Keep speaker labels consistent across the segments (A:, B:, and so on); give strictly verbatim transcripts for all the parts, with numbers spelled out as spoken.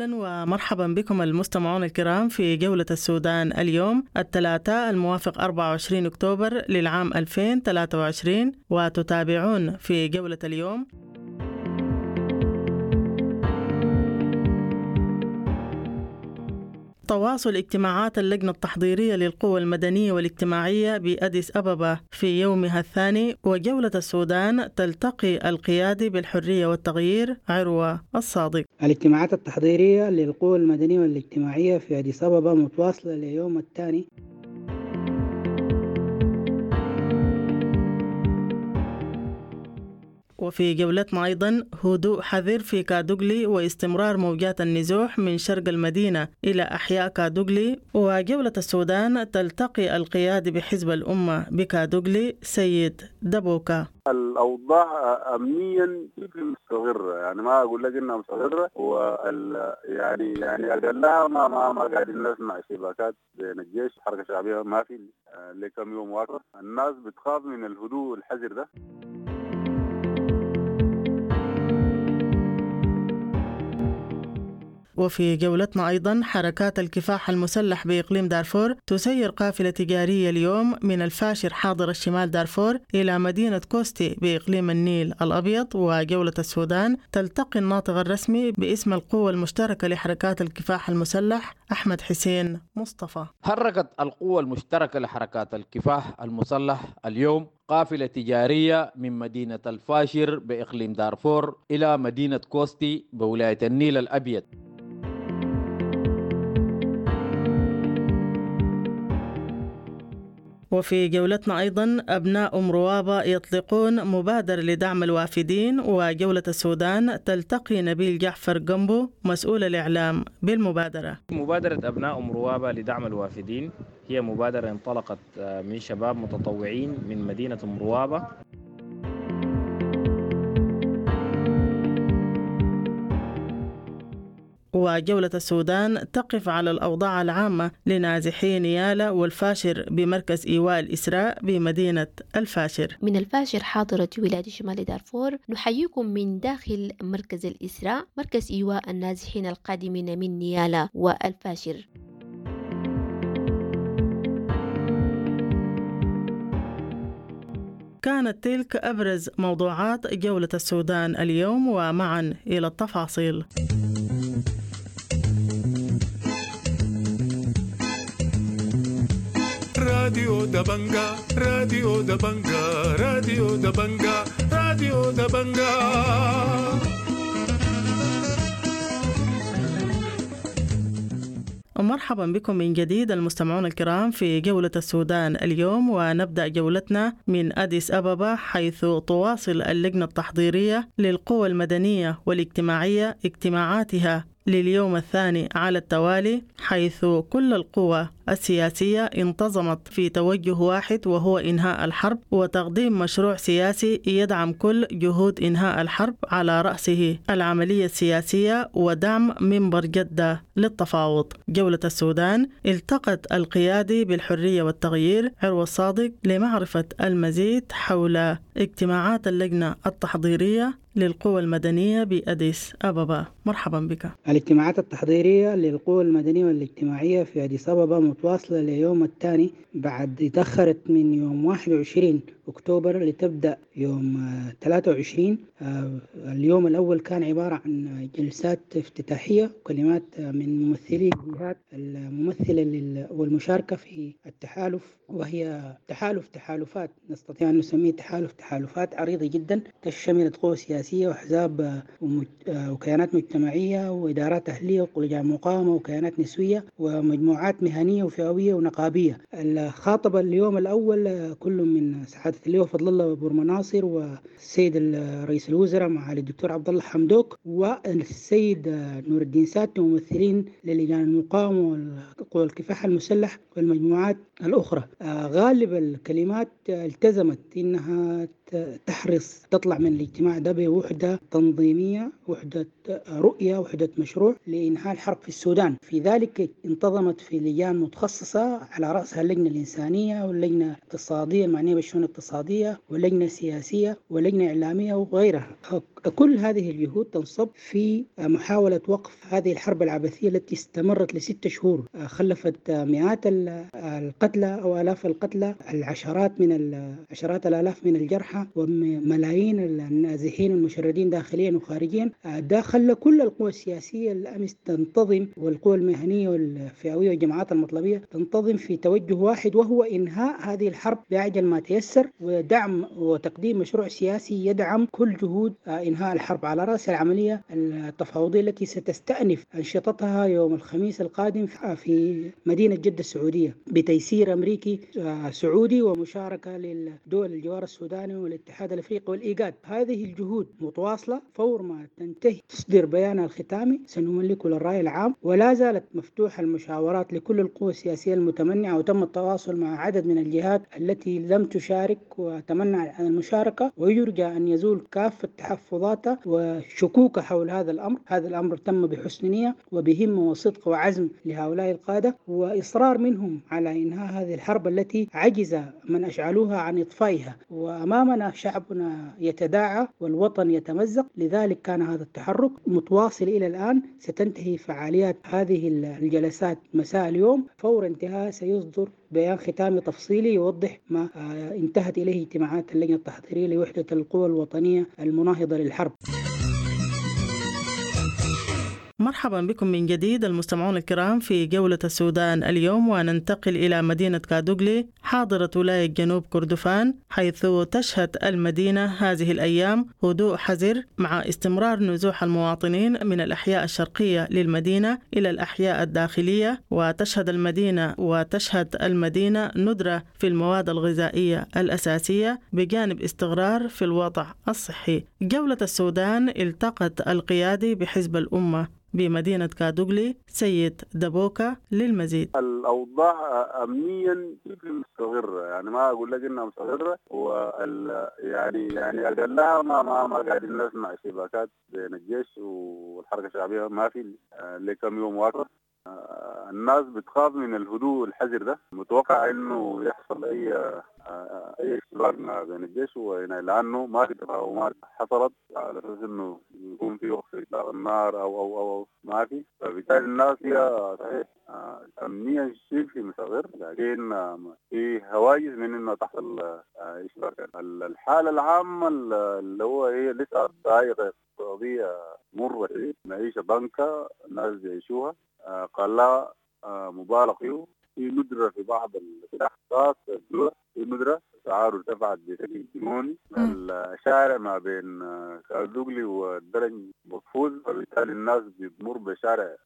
A: أهلا ومرحبا بكم المستمعون الكرام في جولة السودان اليوم الثلاثاء الموافق أربعة وعشرين أكتوبر للعام ألفين وثلاثة وعشرين، وتتابعون في جولة اليوم تواصل اجتماعات اللجنة التحضيرية للقوى المدنية والاجتماعية بأديس أبابا في يومها الثاني، وجولة السودان تلتقي القيادي بالحرية والتغيير عروة الصادق.
B: الاجتماعات التحضيرية للقوى المدنية والاجتماعية في أديس أبابا متواصلة ليوم الثاني.
A: وفي جولتنا أيضا هدوء حذر في كادوغلي واستمرار موجات النزوح من شرق المدينة إلى أحياء كادوغلي. وجولة السودان تلتقي القيادي بحزب الأمة بكادوغلي سيد دبوكا.
C: الأوضاع أمنيا مستقرة، يعني ما أقول لك إنها مستقرة، وال يعني يعني أقلها ما ما ما قاعدين نسمع اشتباكات بين الجيش والحركة الشعبية، ما في لكم يوم واقف. الناس بتخاف من الهدوء الحذر ده.
A: وفي جولتنا أيضا حركات الكفاح المسلح بإقليم دارفور تسير قافلة تجارية اليوم من الفاشر حاضر الشمال دارفور إلى مدينة كوستي بإقليم النيل الأبيض. وجولة السودان تلتقي الناطق الرسمي باسم القوة المشتركة لحركات الكفاح المسلح أحمد حسين مصطفى.
D: حركت القوة المشتركة لحركات الكفاح المسلح اليوم قافلة تجارية من مدينة الفاشر بإقليم دارفور إلى مدينة كوستي بولاية النيل الأبيض.
A: وفي جولتنا أيضا أبناء أم روابة يطلقون مبادرة لدعم الوافدين. وجولة السودان تلتقي نبيل جعفر جنبو مسؤول الإعلام بالمبادرة.
E: مبادرة أبناء أم روابة لدعم الوافدين هي مبادرة انطلقت من شباب متطوعين من مدينة أم روابة.
A: وجولة السودان تقف على الأوضاع العامة لنازحي نيالا والفاشر بمركز إيواء الإسراء بمدينة الفاشر.
F: من الفاشر حاضرة ولاية شمال دارفور نحييكم من داخل مركز الإسراء، مركز إيواء النازحين القادمين من نيالا والفاشر.
A: كانت تلك أبرز موضوعات جولة السودان اليوم، ومعا إلى التفاصيل.
G: راديو دبنجا، راديو دبنجا، راديو دبنجا، راديو دبنجا.
A: ومرحبا بكم من جديد المستمعون الكرام في جولة السودان اليوم، ونبدأ جولتنا من أديس أبابا حيث تواصل اللجنة التحضيرية للقوى المدنية والاجتماعية اجتماعاتها لليوم الثاني على التوالي، حيث كل القوى السياسية انتظمت في توجه واحد وهو إنهاء الحرب وتقديم مشروع سياسي يدعم كل جهود إنهاء الحرب على رأسه العملية السياسية ودعم منبر جدة للتفاوض. جولة السودان التقت القيادي بالحرية والتغيير عروة الصادق لمعرفة المزيد حول اجتماعات اللجنة التحضيرية للقوى المدنية بأديس أبابا. مرحبا بك.
B: الاجتماعات التحضيرية للقوى المدنية والاجتماعية في أديس أبابا متواصلة ليوم الثاني بعد تأخرت من يوم واحد وعشرين أكتوبر لتبدأ يوم ثلاثة وعشرين. اليوم الأول كان عبارة عن جلسات افتتاحية وكلمات من ممثلي الجهات الممثلة والمشاركة في التحالف، وهي تحالف تحالفات نستطيع أن نسميه تحالف تحالفات عريضة جدا تشملت قوى سياسية وأحزاب وكيانات مجتمعية وإدارات أهلية ولجان مقاومة وكيانات نسوية ومجموعات مهنية وفئوية ونقابية. خاطب اليوم الأول كل من سعادة اللواء فضل الله بورمناصر والسيد رئيس الوزراء معالي الدكتور عبد الله حمدوك والسيد نور الدين ساتي، ممثلين للجان المقاومة وقوى الكفاح المسلح والمجموعات الأخرى. غالب الكلمات التزمت إنها تحرص تطلع من الاجتماع ده بوحدة تنظيمية، وحدة رؤية، وحدة مشروع لإنهاء الحرب في السودان. في ذلك انتظمت في لجان متخصصة على رأسها اللجنة الإنسانية واللجنة الاقتصادية المعنية بالشؤون الاقتصادية واللجنة السياسية ولجنة إعلامية وغيرها. كل هذه الجهود تنصب في محاولة وقف هذه الحرب العبثية التي استمرت لست شهور، خلفت مئات القتلى أو آلاف القتلى، العشرات من عشرات الآلاف من الجرحى، وملايين النازحين المشردين داخليا وخارجيا. ده خلى كل القوى السياسية الأمس تنتظم، والقوى المهنية والفئوية والجماعات المطلبية تنتظم في توجه واحد، وهو إنهاء هذه الحرب بأعجل ما تيسر، ودعم وتقديم مشروع سياسي يدعم كل جهود إنهاء الحرب، على رأس العملية التفاوضية التي ستستأنف أنشطتها يوم الخميس القادم في مدينة جدة السعودية بتيسير أمريكي سعودي ومشاركة للدول الجوار السوداني والاتحاد الأفريقي والإيجاد. هذه الجهود متواصلة، فور ما تنتهي تصدر بيانها الختامي سنملكه للرأي العام، ولا زالت مفتوحة المشاورات لكل القوى السياسية المتمنعة، وتم التواصل مع عدد من الجهات التي لم تشارك وتمنع عن المشاركة، ويرجى أن يزول كافة تحفظاتها وشكوك حول هذا الأمر. هذا الأمر تم بحسن نية وبهمة وصدق وعزم لهؤلاء القادة، وإصرار منهم على إنهاء هذه الحرب التي عجز من أشعلوها عن إطفائها، وأمامنا شعبنا يتداعى والوطن يتمزق. لذلك كان هذا التحرك متواصل إلى الآن. ستنتهي فعاليات هذه الجلسات مساء اليوم، فور انتهاء سيصدر بيان ختامي تفصيلي يوضح ما انتهت إليه اجتماعات اللجنة التحضيرية لوحدة القوى الوطنية المناهضة للحرب.
A: مرحبا بكم من جديد المستمعون الكرام في جولة السودان اليوم، وننتقل إلى مدينة كادوغلي حاضرة ولاية جنوب كردفان، حيث تشهد المدينة هذه الأيام هدوء حذر مع استمرار نزوح المواطنين من الأحياء الشرقية للمدينة إلى الأحياء الداخلية، وتشهد المدينة وتشهد المدينة ندرة في المواد الغذائية الأساسية بجانب استقرار في الوضع الصحي. جولة السودان التقت القيادي بحزب الأمة بمدينة كادوغلي سيد دبوكا للمزيد.
C: الأوضاع أمنيا شبه مستقرة، يعني ما أقول لك إنها مستقرة، وال يعني يعني أقلها ما ما ما قاعدين نسمع اشتباكات بين الجيش والحركة الشعبية، ما في لكم يوم واقف. الناس بتخاف من الهدوء الحذر ده، متوقع إنه يحصل أي اي اشتباك بين الجيش وهنا، لانه ما في تفاهمات حصلت على اساس انه يكون في وقف اطلاق النار او او او ما في، فبالتالي الناس هي صحيح امنيا شبه مستقر، لكن في هواجس من انه تحصل اشتباكات. الحاله العامه اللي هو هي لسه ضايقه اقتصاديه مره، معيشه ضنكه الناس بيعيشوها، قلاء مبالغ فيه، في ندرة في بعض الأحداث، في ندرة أسعاره ارتفعت بشكل جنوني. الشارع ما بين كادوغلي والدرج مقفول، فبالتالي الناس بتمر بشارع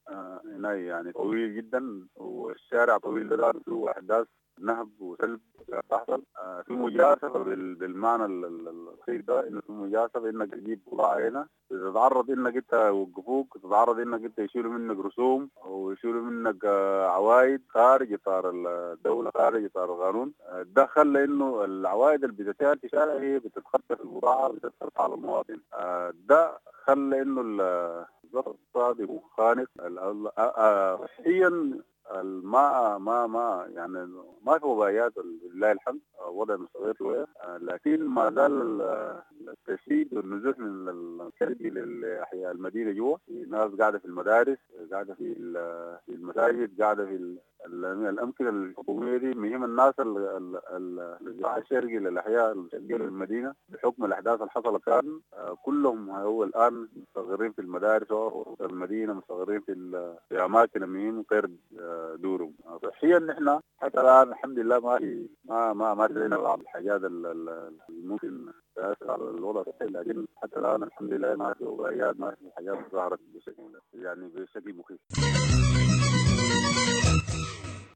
C: هنا يعني طويل جدا، والشارع طويل ده فيه أحداث نهب وسلب تحصل، في مجازفة بالمعنى الخير ده، إنه في مجازفة إنك تجيب بضاعة هنا، تتعرض إنك أنت يوقفوك، تتعرض إنك أنت يشيلوا منك رسوم ويشيلوا منك عوائد خارج إطار الدولة، خارج إطار القانون. ده خلى إنه العوائد اللي بتتعمل في الشارع هي بتتخطف البضاعة، بتتخطف على المواطن. ده خلى إنه الظرف الاقتصادي خانق صحيا. ما ما ما يعني ما في وبايات لله الحمد، وضع مستقر شويه، لكن ما زال التشديد والنزوح من الشرقي للاحياء المدينه جوا، ناس قاعده في المدارس، قاعده في في المساجد، قاعده في الامكنه الحكوميه دي. مهم الناس النزوح الشرقي للاحياء الشرقيه للمدينه بحكم الاحداث اللي حصلت كان كلهم هو الان مستقرين في المدارس والمدينه، مستقرين في في اماكن مهم غير دورهم. صحيا نحن حتى الان الحمد لله ما في ما ما ما لدينا بعض الحاجات اللي ممكن تاثر على الوضع الصحي، لكن حتى الان الحمد لله ما في وبايات، ما في حاجات ظهرت بشكل يعني بشكل مخيف.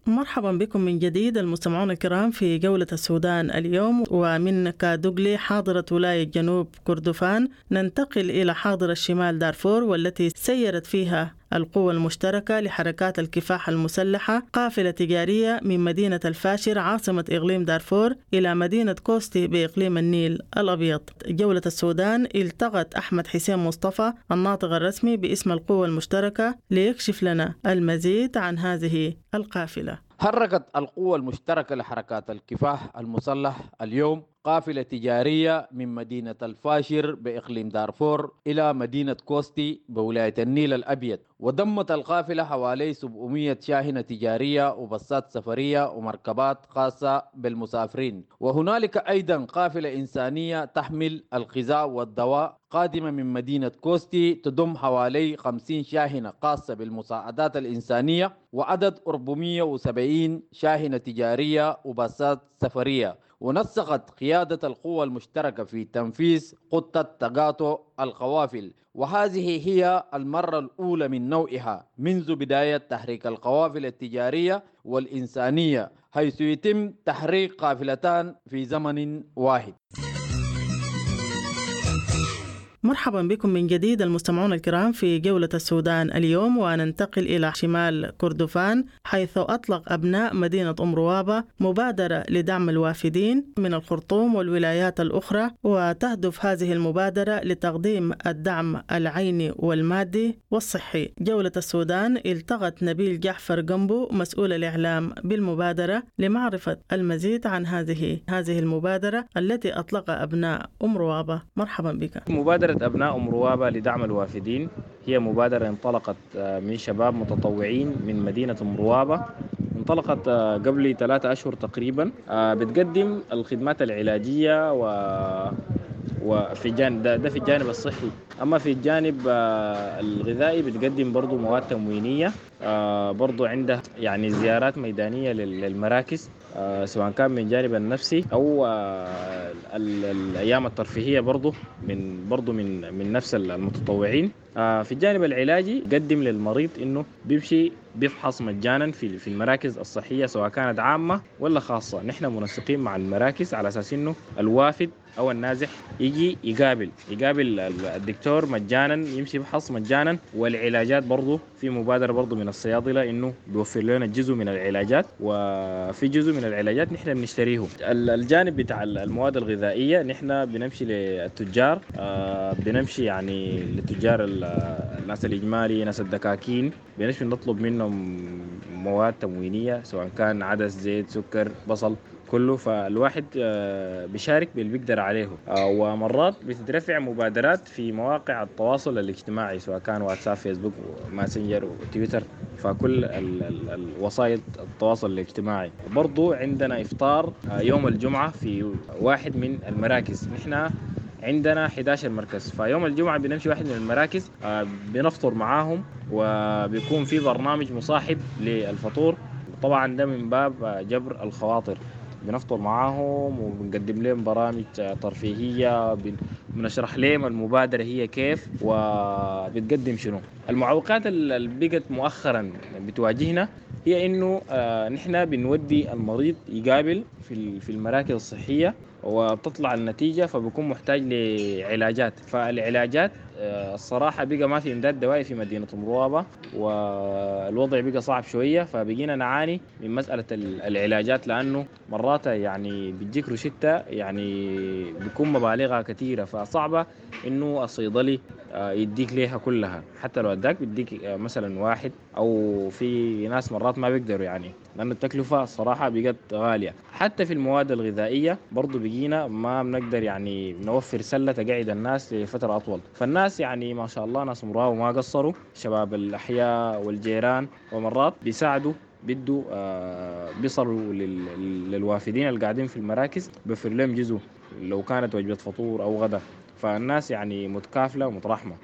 A: مرحبا بكم من جديد المستمعون الكرام في جولة السودان اليوم، ومن كادوغلي حاضرة ولاية جنوب كردفان ننتقل إلى حاضرة الشمال دارفور، والتي سيرت فيها القوى المشتركة لحركات الكفاح المسلحة قافلة تجارية من مدينة الفاشر عاصمة إقليم دارفور إلى مدينة كوستي بإقليم النيل الأبيض. جولة السودان التقت أحمد حسين مصطفى الناطق الرسمي باسم القوى المشتركة ليكشف لنا المزيد عن هذه القافلة.
D: حركت القوى المشتركة لحركات الكفاح المسلح اليوم قافلة تجارية من مدينة الفاشر بإقليم دارفور إلى مدينة كوستي بولاية النيل الأبيض، وضمت القافلة حوالي سبعمئة شاحنة تجارية وبصات سفرية ومركبات خاصة بالمسافرين. وهنالك أيضا قافلة إنسانية تحمل الغذاء والدواء قادمة من مدينة كوستي تضم حوالي خمسين شاحنة خاصة بالمساعدات الإنسانية وعدد أربعمئة وسبعين شاحنة تجارية وباصات سفرية. ونسقت قيادة القوى المشتركة في تنفيذ خطة تقاطع القوافل، وهذه هي المرة الأولى من نوعها منذ بداية تحريك القوافل التجارية والإنسانية، حيث يتم تحريك قافلتان في زمن واحد.
A: مرحبا بكم من جديد المستمعون الكرام في جولة السودان اليوم، وننتقل إلى شمال كردفان حيث أطلق أبناء مدينة أم روابة مبادرة لدعم الوافدين من الخرطوم والولايات الأخرى، وتهدف هذه المبادرة لتقديم الدعم العيني والمادي والصحي. جولة السودان التقت نبيل جعفر جنبو مسؤول الإعلام بالمبادرة لمعرفة المزيد عن هذه هذه المبادرة التي أطلقها أبناء أم روابة. مرحبا بك.
E: مبادرة أبناء أم روابة لدعم الوافدين هي مبادرة انطلقت من شباب متطوعين من مدينة أم روابة، انطلقت قبل ثلاثة أشهر تقريبا. بتقدم الخدمات العلاجية و وفي الجانب ده, ده في الجانب الصحي. أما في الجانب الغذائي بتقدم برضو مواد تموينية، برضو عندها يعني زيارات ميدانية للمراكز سواء كان من الجانب النفسي أو الأيام الترفيهية برضو من برضو من من نفس المتطوعين. في الجانب العلاجي قدم للمريض إنه بيمشي بيفحص مجانا في في المراكز الصحية سواء كانت عامة ولا خاصة. نحن منسقين مع المراكز على أساس إنه الوافد أو النازح يجي يقابل يقابل الدكتور مجانا، يمشي يفحص مجانا. والعلاجات برضو في مبادرة برضو من الصيادلة إنه بيوفر لنا جزء من العلاجات، وفي جزء من العلاجات نحن بنشتريه. الجانب بتاع المواد الغذائية نحن بنمشي للتجار، بنمشي يعني للتجار الناس الإجمالي، ناس الدكاكين، بنمشي نطلب منهم مواد تموينية سواء كان عدس، زيت، سكر، بصل، كله. فالواحد بيشارك باللي بيقدر عليه. ومرات بتترفع مبادرات في مواقع التواصل الاجتماعي سواء كان واتساب، فيسبوك، ماسنجر، وتويتر، فكل الوسائل التواصل الاجتماعي. برضو عندنا إفطار يوم الجمعة في واحد من المراكز. نحن عندنا أحد عشر مركز، فيوم الجمعة بنمشي واحد من المراكز بنفطر معاهم، وبيكون في برنامج مصاحب للفطور. طبعا ده من باب جبر الخواطر، بنفطر معاهم وبنقدم لهم برامج ترفيهية، بنشرح لهم المبادرة هي كيف وبتقدم شنو. المعوقات اللي بقت مؤخرا بتواجهنا هي انه نحن بنودي المريض يقابل في في المراكز الصحية وبتطلع النتيجة، فبيكون محتاج لعلاجات. فالعلاجات الصراحة بقى ما في إمداد دوائي في مدينة أم روابة، والوضع بقى صعب شوية، فبقينا نعاني من مسألة العلاجات، لأنه مرات يعني بتجيك روشتة يعني بيكون مبالغها كثيرة، فصعبة إنه الصيدلي يديك ليها كلها. حتى لو اداك بيديك مثلا واحد، أو في ناس مرات ما بيقدروا يعني، لأن التكلفة الصراحة بقت غالية. حتى في المواد الغذائية برضو بقينا ما بنقدر يعني نوفر سلة تقعد الناس لفترة أطول. فالناس يعني ما شاء الله ناس مراوة ما قصروا، شباب الأحياء والجيران، ومرات بيساعدوا بدوا آه بيصلوا للوافدين اللي قاعدين في المراكز، بيوفر لهم جزء لو كانت وجبة فطور أو غدا. فالناس يعني متكافلة ومترحمة.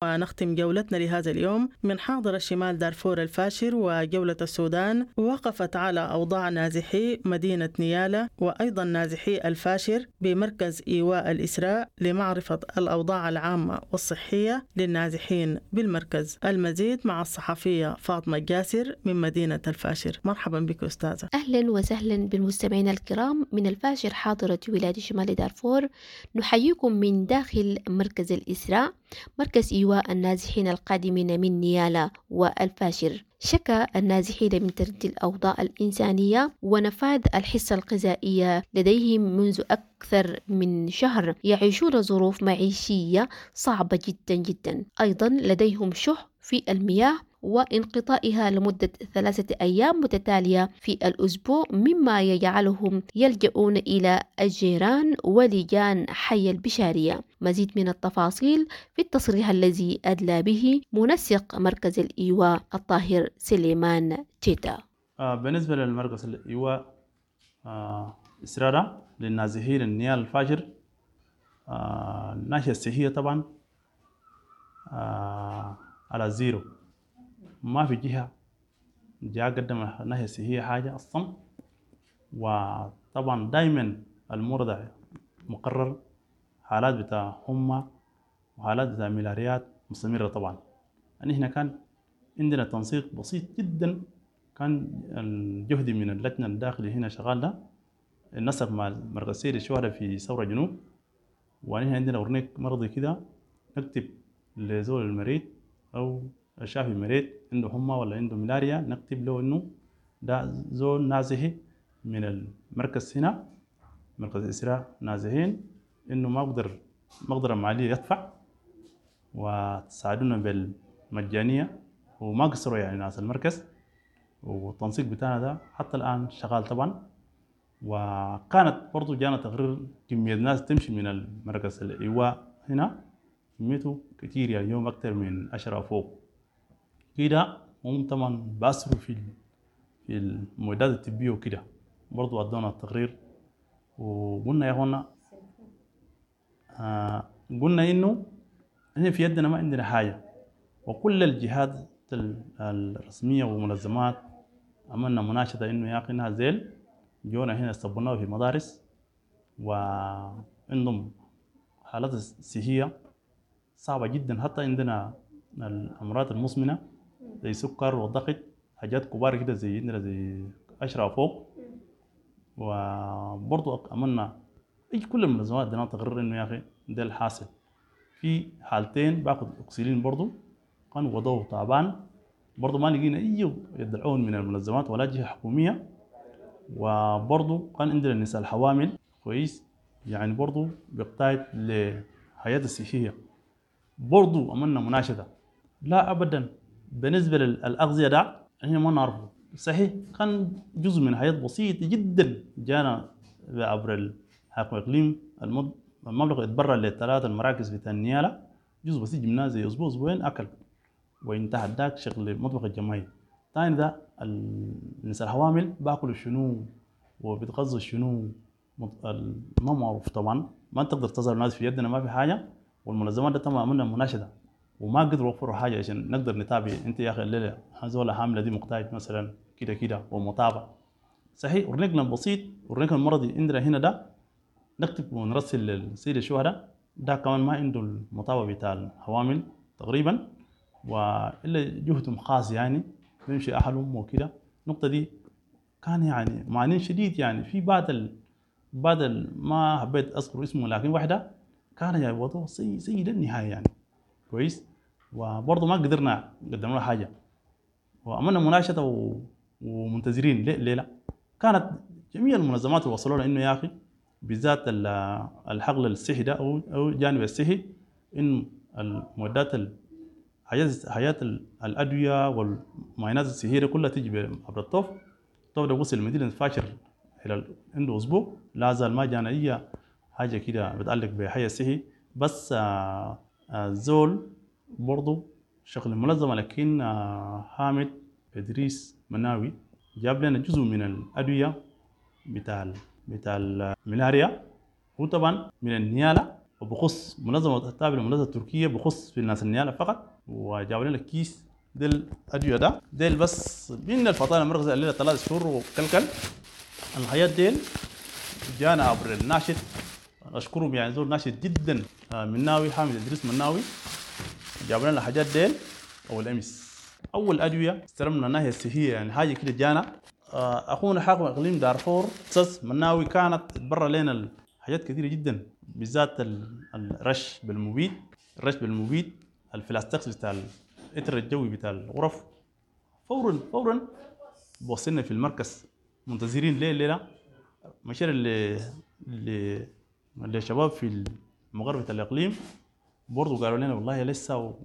A: ونختم جولتنا لهذا اليوم من حاضر الشمال دارفور الفاشر وجولة السودان وقفت على أوضاع نازحي مدينة نيالا وأيضا نازحي الفاشر بمركز إيواء الإسراء لمعرفة الأوضاع العامة والصحية للنازحين بالمركز. المزيد مع الصحفية فاطمة الجاسر من مدينة الفاشر. مرحبا بك أستاذة.
F: أهلا وسهلا بالمستمعين الكرام من الفاشر حاضرة ولاية شمال دارفور. نحييكم من داخل مركز الإسراء، مركز إيواء النازحين القادمين من نيالا والفاشر. شكى النازحين من تردي الأوضاع الإنسانية ونفاذ الحصة الغذائية لديهم منذ أكثر من شهر، يعيشون ظروف معيشية صعبة جدا جدا. أيضا لديهم شح في المياه وانقطاعها لمدة ثلاثة أيام متتالية في الأسبوع، مما يجعلهم يلجؤون إلى الجيران ولجان حي البشارية. مزيد من التفاصيل في التصريح الذي أدلى به منسق مركز الإيواء الطاهر سليمان تيتا.
H: آه بالنسبة للمركز الإيواء آه إسرارة للنازحين النيال الفاجر، آه الناحية الصحية طبعا آه على زيرو، ما في جهة جاء قدم الناحية الصحية حاجة أصلا. وطبعا دايما المرضى مقرر حالات بتاع حمى وحالات بتاع ملاريات مستمرة. طبعا يعني احنا كان عندنا تنسيق بسيط جدا، كان الجهد من اللجنة الداخلي هنا شغال ده نسق مع مركز سيد الشهداء في ثورة جنوب. ونحن عندنا أورنيك مرضي كده نكتب لزول المريض أو شافي مريض عنده حمى ولا عنده ملاريا، نكتب له إنه ده زول نازحي من المركز هنا مركز إسراء نازحين، إنه ما بقدر مقدرة مالية يدفع وتساعدونا بالمجانية. وما قصروا يعني ناس المركز، والتنسيق بتاعنا ده حتى الآن شغال طبعا. وكانت برضو جانا تقرير كمية ناس تمشي من المركز الإيواء هنا كميته كتير، يعني يوم أكتر من عشرة فوق كده. هم طبعا بأسروا في في المعدات الطبية وكده، برضو أدونا التقرير. وقلنا يا اخوانا آه قلنا إنه إحنا في يدنا ما عندنا حاجة، وكل الجهات الرسمية ومنظمات عملنا مناشدة إنه يا أخي نازل جونا هنا استقبلناه في مدارس وعندهم حالات صحية صعبة جدا، حتى عندنا الأمراض المزمنة زي سكر والضغط، حاجات كبار كده زي عندنا زي عشرة فوق. وبرضو عملنا أي كل المنظمات ادينا تقرير إنه يا أخي ده الحاصل. في حالتين باخد أكسجين برضو كان وضعه تعبان، برضو ما لقينا أي يدعون من المنظمات ولا جهة حكومية. وبرضو كان عندنا النساء الحوامل كويس، يعني برضو بيقتاد لحياة الصحية. برضو عملنا مناشدة لا أبدا بالنسبة للأغذية ده احنا ما نعرفه صحيح، كان جزء من حياة بسيط جدا جانا عبر الحاكم الإقليم المبلغ اتبرع للثلاث المراكز بتاع النيالة، جزء بسيط جبناه زي أسبوع أسبوعين أكل وانتهى داك شغل المطبخ الجماعي. تاني ده الناس الحوامل باكلوا شنو وبيتغذوا شنو ما معروف طبعا، ما تقدر تظهر الناس في يدنا ما في حاجة. والمنظمات ده طبعا عملنا مناشدة وما قدروا يوفروا حاجة عشان نقدر نتابع انت يا اخي الليلة هذول حامله دي مقتاج مثلا كده كده ومتابعة صحيح. ورنيقنا البسيط ورنيقنا المرضي عندنا هنا ده نكتب ونرسل للسيد الشهداء ده كمان ما عنده المتابعة بتاع الحوامل تقريبا، والا جهدهم خاص يعني بيمشي اهلهم وكده. النقطة دي كان يعني معانين شديد يعني في بعض ال... بعض ال... ما حبيت اذكر اسمه، لكن واحدة كان يعني وضعه سيء سيء للنهاية يعني كويس. وبرضه ما قدرنا قدمنا له حاجة وعملنا مناشده و... ومنتظرين ليه ليه لا. كانت جميع المنظمات اللي وصلوا لنا انه يا اخي بالذات الحقل الصحي ده او او جانب الصحي انه المعدات حاجات حاجات الادوية والمعاينات الصحية كلها تيجي عبر الطوف. الطوف ده وصل المدينة الفاشر خلال عنده اسبوع لا زال ما جانا اي حاجة كده بتعلق بحي الصحي. بس آه آه زول برضو شغل المنظمة، لكن آه حامد ادريس مناوي جاب لنا جزء من الادوية بتاع بتاع الملاريا، هو طبعا من النياله وبخص منظمة التابعة للمنظمة التركية بخص في الناس النياله فقط. وجابوا لنا كيس ديل الادوية ده ديل بس من الفطانه المركز الليلة ثلاث شهور وكلكل الحياة ديل جانا عبر الناشط اشكرهم يعني زول ناشط جدا مناوي حامد ادريس مناوي جاب لنا الحاجات ديل اول امس. اول ادوية استلمنا الناحية الصحية يعني حاجة كده جانا اخونا حاكم اقليم دارفور استاذ مناوي كانت تبرع لنا حاجات كثيرة جدا، بالذات الرش بالمبيد، الرش بالمبيد الفلاستكس بتاع الإتر الجوي بتاع الغرف. فورا فورا وصلنا في المركز منتظرين ليه الليلة مشينا ل ل للشباب في المغرب بتاع الاقليم برضه قالوا لنا والله لسه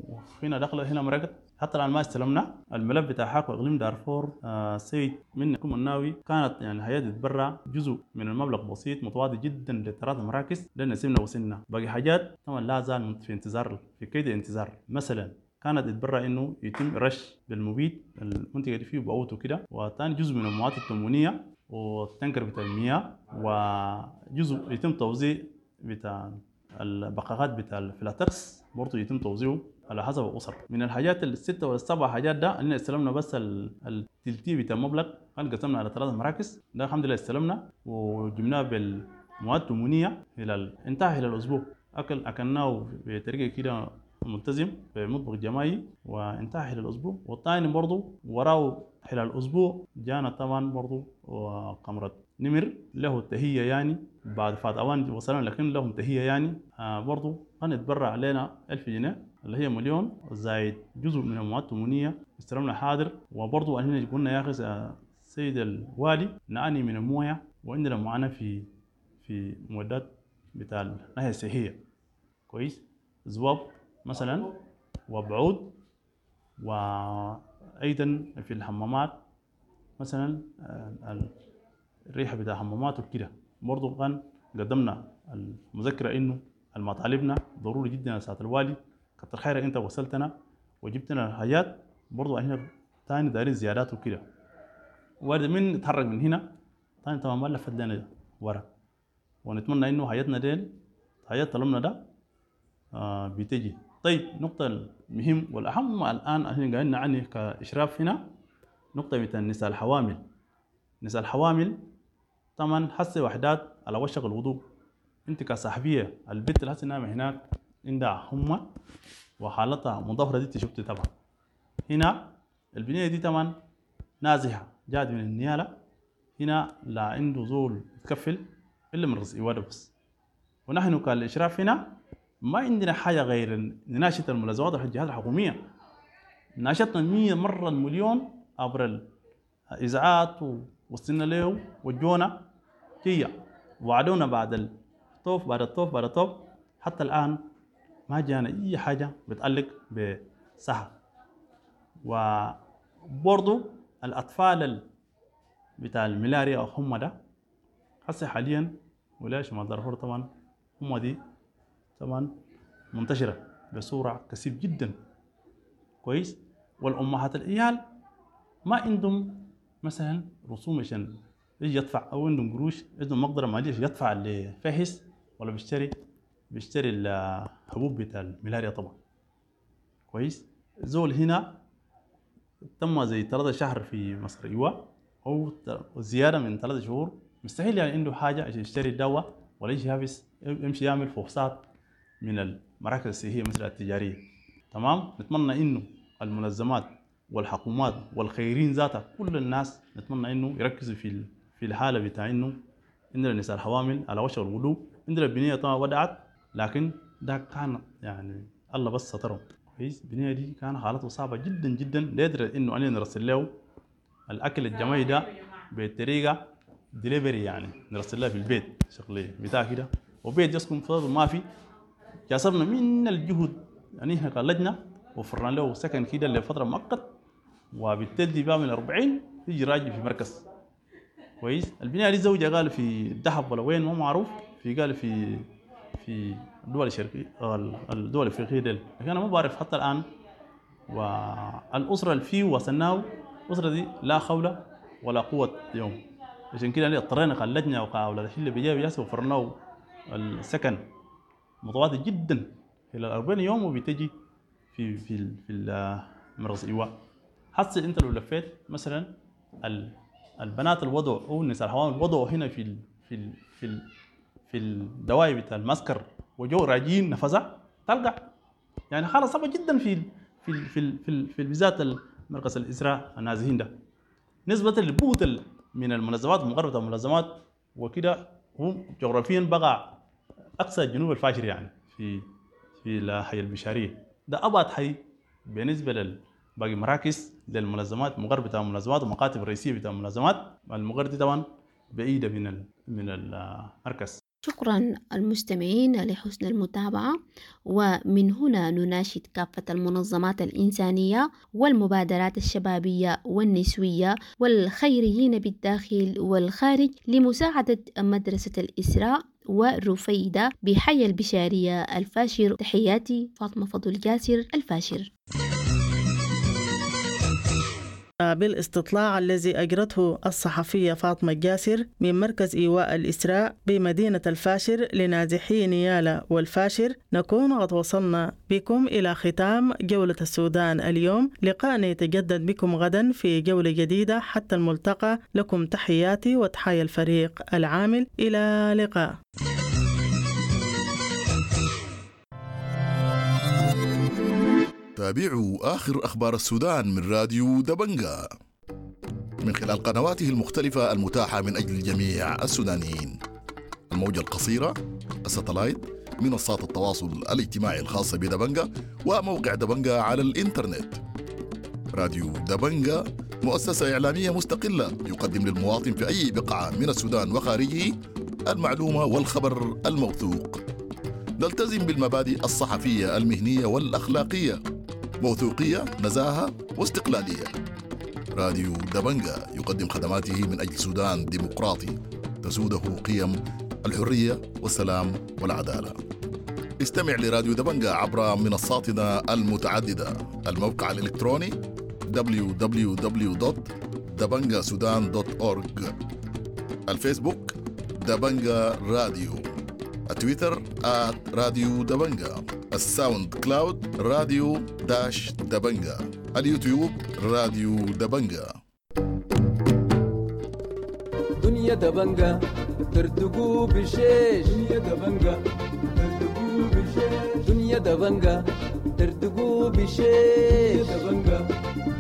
H: وهنا دخلت هنا مرقت. حتى الان ما استلمنا الملف بتاع حاكم اقليم دارفور. آه سيد منكم الناوي كانت يعني هي تتبرع جزء من المبلغ بسيط متواضع جدا للثلاث مراكز لان سيبنا وصلنا باقي حاجات طبعا لا زال في انتظار في كيد انتظار. مثلا كانت تتبرع انه يتم رش بالمبيد المنطقة دي فيه باوتو كده، وثاني جزء من المواد التموينيه والتنكر بتاع المياه، وجزء يتم توزيع بتاع البقاقات بتاع الفلاتكس برضه يتم توزيعه على حسب الاسر. من الحاجات الستة ولا السبع حاجات ده اننا استلمنا بس التلتي بتاع المبلغ، كان قسمنا على ثلاث مراكز ده الحمد لله استلمنا وجبناه بالمواد التموينيه الى انتهى الى الاسبوع. اكل اكلناه بطريقة كده ملتزم في مطبخ جماعي وانتهى خلال الاسبوع. والثاني برضه وراه خلال الاسبوع جانا طبعا برضه وقمرة نمر له التهية يعني بعد فات اوان وصلنا لكن لهم تهية يعني آه برضه كان يتبرع علينا ألف جنيه اللي هي مليون زائد جزء من المواد التموينية استلمنا حاضر. وبرضه احنا قلنا يا اخي السيد الوالي نعاني من المويه وعندنا معاناة في في معدات بتاع الناحية الصحية كويس، زواب مثلا وبعود، وايضا في الحمامات مثلا الريحة بتاع الحمامات وكده. برضه كان قدمنا المذكرة انه المطالبنا ضروري جدا يا سعادة الوالي، كتر خيرك انت وصلتنا وجبتنا الحاجات، برضه احنا تاني دايرين زيادات وكده. وارد من نتحرك من هنا تاني تمام ما لفت لنا ورا، ونتمنى انه حياتنا ديل حياة طلبنا ده آه بتجي. طيب نقطة المهم والأهم الآن احنا قاعدين نعني كإشراف هنا نقطة بتاع النساء الحوامل. نساء الحوامل طبعا حس وحدات على وشك الوضوء. انت كصاحبية البنت اللي هسه نايمة هناك عندها حمى وحالتها مضافرة دي شفتي طبعا. هنا البنية دي طبعا نازحة جات من النيالة، هنا لا عنده زول يتكفل إلا من رزق إيواده بس. ونحن كالإشراف هنا ما عندنا حاجة غير نناشد الملازمات والجهات الحكومية. ناشطنا مية مرة المليون عبر الإذاعات ووصلنا له وجونا جية وعدونا بعد الطوف بعد الطوف بعد الطوف، حتى الآن ما جانا أي حاجة بتعلق بصحة. وبرضو الأطفال بتاع الملاريا أو هم ده هسه حاليا ولاية شمال دارفور طبعا هم دي طبعا منتشرة بصورة كثيف جدا كويس. والأمهات العيال ما عندهم مثلا رسوم عشان يجي يدفع أو عندهم قروش عندهم مقدرة مالية يدفع اللي فهس ولا بيشتري بيشتري الحبوب بتاع الملاريا طبعا كويس. زول هنا تم زي ثلاثة شهر في مصر ايوه أو زيادة من ثلاثة شهور، مستحيل يعني عنده حاجة عشان يشتري الدواء ولا يجي يحبس يمشي يعمل فحوصات من المراكز الصحية مثل التجارية. تمام، نتمنى إنه المنظمات والحكومات والخيرين ذاتها كل الناس نتمنى إنه يركزوا في في الحالة بتاع إنه عندنا النساء الحوامل على وشك الغلو، عندنا البنية طبعا ودعت لكن ده كان يعني الله بس سترهم كويس. البنية دي كان حالته صعبة جدا جدا لدرجة إنه أنا نرسل له الأكل الجماعي ده بطريقة دليفري يعني نرسل لها في البيت شغلي بتاع كده، وبيت يسكن فضل ما في. جاسرنا من الجهد يعني احنا كلجنة وفرنا له سكن كده لفترة مؤقت، وبالتالي بقى من أربعين يجي راجع في مركز كويس. البنية دي زوجها قال في الذهب ولا وين ما معروف، في قال في في الدول الشرقية الدول الافريقية ديل، لكن انا ما بعرف حتى الان. والاسرة اللي فيه وصلناه الاسرة دي لا خولة ولا قوة اليوم، عشان كده اضطرينا كلجنة وكأولاد الحلة بيجي بيجي وفرناه السكن متواضع جدا خلال أربعين يوم، وبتجي في في في مركز ايواء. حصل انت لو لفيت مثلا البنات الوضع او النساء الحوامل وضعوا هنا في ال في ال في ال في الدواي بتاع المسكر وجو راجين نفذها تلقى يعني حاله صعبة جدا في في في في, في بالذات مركز الاسراء النازحين ده. نسبه البوت من المنظمات ومقربه المنظمات وكده هو جغرافيا بقى اقصى جنوب الفاشر يعني في في في حي البشارية. ده أبعد حي بالنسبة لباقي مراكز للمنظمات، مقر بتاع المنظمات ومكاتب الرئيسية بتاع المنظمات. المقر دي طبعا بعيدة من من المركز.
F: شكرا المستمعين لحسن المتابعة، ومن هنا نناشد كافة المنظمات الإنسانية والمبادرات الشبابية والنسوية والخيريين بالداخل والخارج لمساعدة مدرسة الإسراء ورفيدة بحي البشارية الفاشر. تحياتي فاطمة فضل جاسر، الفاشر.
A: بالاستطلاع الذي أجرته الصحفية فاطمة الجاسر من مركز إيواء الإسراء بمدينة الفاشر لنازحي نيالا والفاشر، نكون قد وصلنا بكم إلى ختام جولة السودان اليوم. لقاءنا يتجدد بكم غدا في جولة جديدة، حتى الملتقى. لكم تحياتي وتحايا الفريق العامل، إلى لقاء.
G: تابعوا آخر أخبار السودان من راديو دبنجا من خلال قنواته المختلفة المتاحة من أجل جميع السودانيين، الموجة القصيرة، الستلايت، منصات التواصل الاجتماعي الخاصة بدبنجا، وموقع دبنجا على الإنترنت. راديو دبنجا مؤسسة إعلامية مستقلة يقدم للمواطن في أي بقعة من السودان وخارجه المعلومة والخبر الموثوق. نلتزم بالمبادئ الصحفية المهنية والأخلاقية، موثوقية، نزاهة واستقلالية. راديو دبنجا يقدم خدماته من أجل سودان ديمقراطي تسوده قيم الحرية والسلام والعدالة. استمع لراديو دبنجا عبر منصاتنا المتعددة: الموقع الإلكتروني دبليو دبليو دبليو دوت دبنجا سودان دوت أورج، الفيسبوك دبنجا راديو، التويتر آت راديو دبنجا، الساوند كلاود راديو dash دبنجا، اليوتيوب راديو دبنجا.
I: دنيا دبنجا ترتقو بشيش، دنيا دبنجا ترتقو بشيش، دنيا دبنجا ترتقو بشيش، دبنجا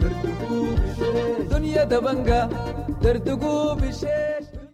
I: ترتقو بشيش، دنيا دبنجا ترتقو بشيش.